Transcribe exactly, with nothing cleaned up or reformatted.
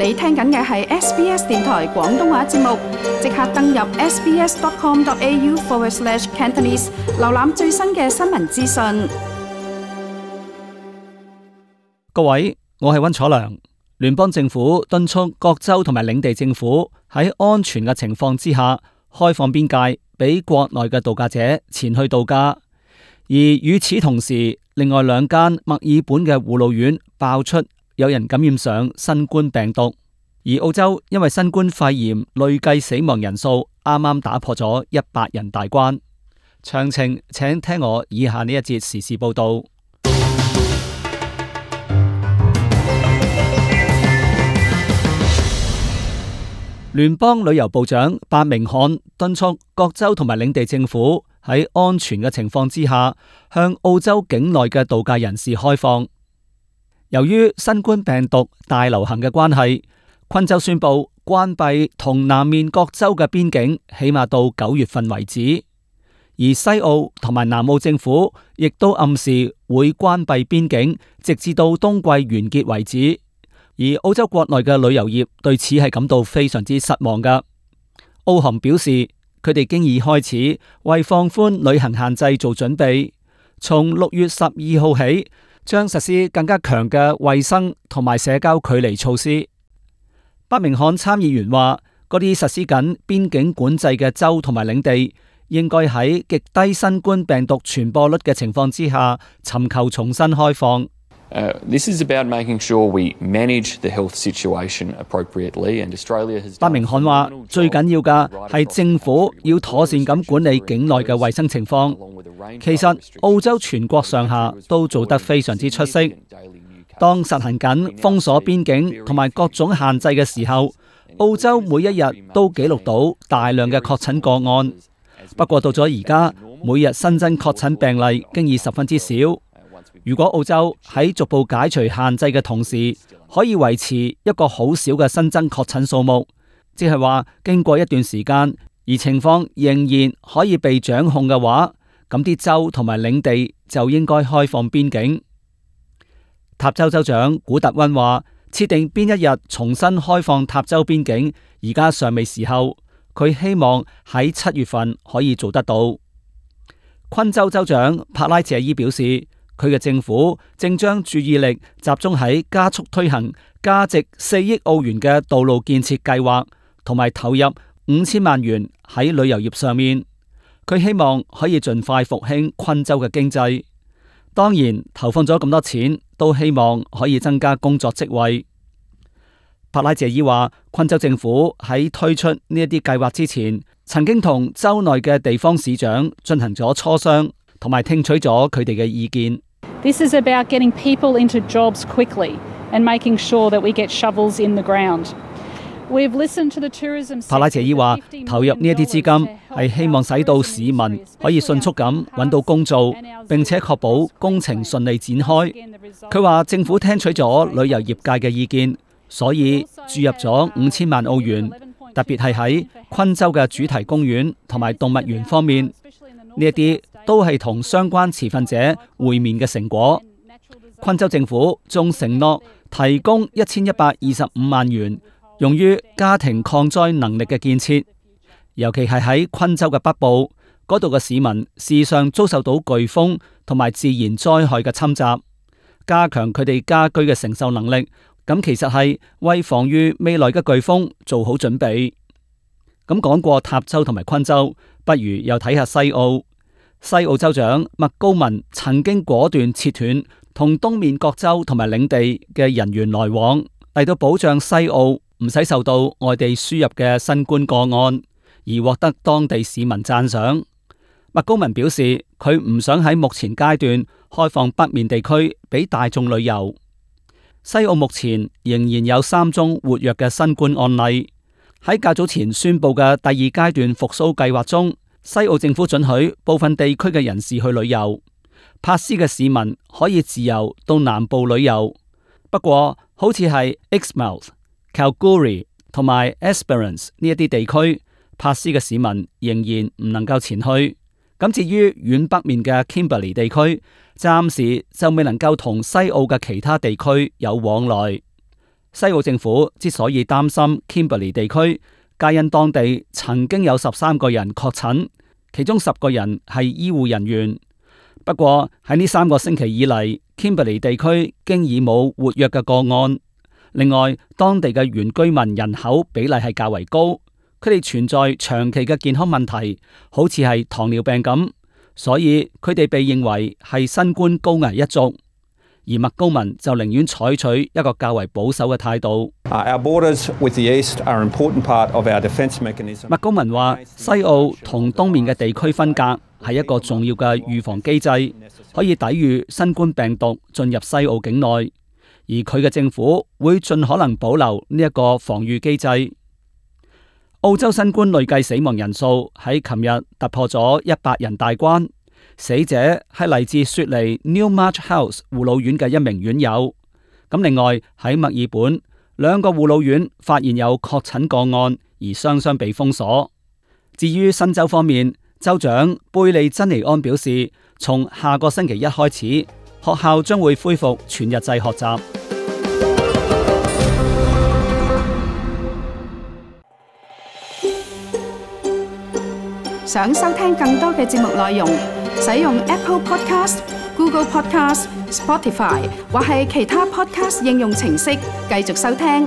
你聽緊嘅係 S B S 電台廣東話節目，即刻登入 sbs.com.au forward slash Cantonese， 瀏覽最新嘅新聞資訊。各位，我係溫楚良。聯邦政府敦促各州同埋領地政府喺安全嘅情況之下，開放邊界俾國內嘅度假者前去度假。而與此同時，另外兩間墨爾本嘅護老院爆出有人感染上新冠病毒，而澳洲因為新冠肺炎累計死亡人數啱啱打破咗一百人大關。詳情請聽我以下呢一節時事報道。聯邦旅遊部長白明漢敦促各州同埋領地政府喺安全嘅情況之下，向澳洲境內嘅度假人士開放。由於新冠病毒大流行嘅關係，昆州宣布關閉同南面各州嘅邊境，起碼到九月份為止。而西澳同埋南澳政府亦都暗示會關閉邊境，直至到冬季完結為止。而澳洲國內嘅旅遊業對此係感到非常之失望㗎。澳航表示，佢哋經已開始為放寬旅行限制做準備，從六月十二號起，將實施更加強嘅衛生同埋社交距離措施。伯明翰參議員話，嗰啲實施緊邊境管制嘅州同埋領地，應該喺極低新冠病毒傳播率嘅情況之下，尋求重新開放。Uh, this is about making sure we manage the health situation appropriately, and Australia has. 伯明翰話，最緊要嘅係政府要妥善咁管理境內嘅衛生情況。其實澳洲全國上下都做得非常之出色。當實行緊封鎖邊境同埋各種限制嘅時候，澳洲每一日都記錄到大量嘅確診個案。不過到咗而家，每日新增確診病例經已十分之少。如果澳洲喺逐步解除限制嘅同時，可以維持一個好少嘅新增確診數目，即係話經過一段時間，而情況仍然可以被掌控嘅話，咁啲州同埋領地就應該開放邊境。塔州州長古特溫話，設定邊一日重新開放塔州邊境，而家尚未時候，佢希望喺七月份可以做得到。昆州州長帕拉謝伊表示，佢嘅政府正將注意力集中喺加速推行價值四億澳元嘅道路建設計劃，同埋投入五千萬元喺旅遊業上面。佢希望可以盡快復興昆州嘅經濟。當然，投放咗咁多錢，都希望可以增加工作職位。帕拉謝伊話，昆州政府喺推出呢一啲計劃之前，曾經同州內嘅地方市長進行咗磋商，同埋聽取咗佢哋嘅意見。This is about getting people into jobs quickly and making sure that we get shovels in the ground. We've listened to the tourism. 帕拉謝伊話，投入呢一啲資金係希望使到市民可以迅速咁揾到工做，並且確保工程順利展開。佢話政府聽取咗旅遊業界嘅意見，所以注入咗五千萬澳元，特別係喺昆州嘅主題公園同埋動物園方面，呢一啲都係同相關持份者會面嘅成果。昆州政府仲承諾提供一千一百二十五萬元，用於家庭抗災能力嘅建設，尤其係喺昆州嘅北部嗰度嘅市民，時常遭受到颶風同埋自然災害嘅侵襲，加強佢哋家居嘅承受能力。咁其實係為防禦未來嘅颶風做好準備。咁講過塔州同埋昆州，不如又睇下西澳。西澳州長麥高文曾經果斷切斷同東面各州同埋領地嘅人員來往，嚟到保障西澳唔使受到外地輸入嘅新冠個案，而獲得當地市民讚賞。麥高文表示，佢唔想喺目前階段開放北面地區俾大眾旅遊。西澳目前仍然有三宗活躍嘅新冠案例。喺較早前宣布嘅第二階段復甦計劃中，西澳政府准許部分地區嘅人士去旅遊，珀斯嘅市民可以自由到南部旅遊。不過，好似係 Exmouth、Kalgoorlie 同埋 Esperance 呢一啲地區，珀斯嘅市民仍然唔能夠前去。咁至於遠北面嘅 Kimberley 地區，暫時就未能夠同西澳嘅其他地區有往來。西澳政府之所以擔心 Kimberley 地區，皆因當地曾經有十三個人確診，其中十個人係醫護人員。不過喺呢三個星期以嚟，Kimberley 地區經已冇活躍嘅個案。另外，當地嘅原居民人口比例係較為高，佢哋存在長期嘅健康問題，好似係糖尿病咁，所以佢哋被認為係新冠高危一族。而麥高文就寧願採取一個較為保守嘅態度。麥高文話：西澳同東面嘅地區分隔係一個重要嘅預防機制，可以抵禦新冠病毒進入西澳境內，而佢嘅政府會盡可能保留呢一個防禦機制。澳洲新冠累計死亡人數喺琴日突破咗一百人大關。死者係嚟自雪梨 Newmarch House 護老院嘅一名院友。咁另外喺墨爾本，兩個護老院發現有確診個案，而雙雙被封鎖。至於新州方面，州長貝利珍尼安表示，從下個星期一開始，學校將會恢復全日制學習。想收聽更多嘅節目內容，使用 Apple Podcast、Google Podcast、Spotify 或係其他 Podcast 應用程式繼續收聽。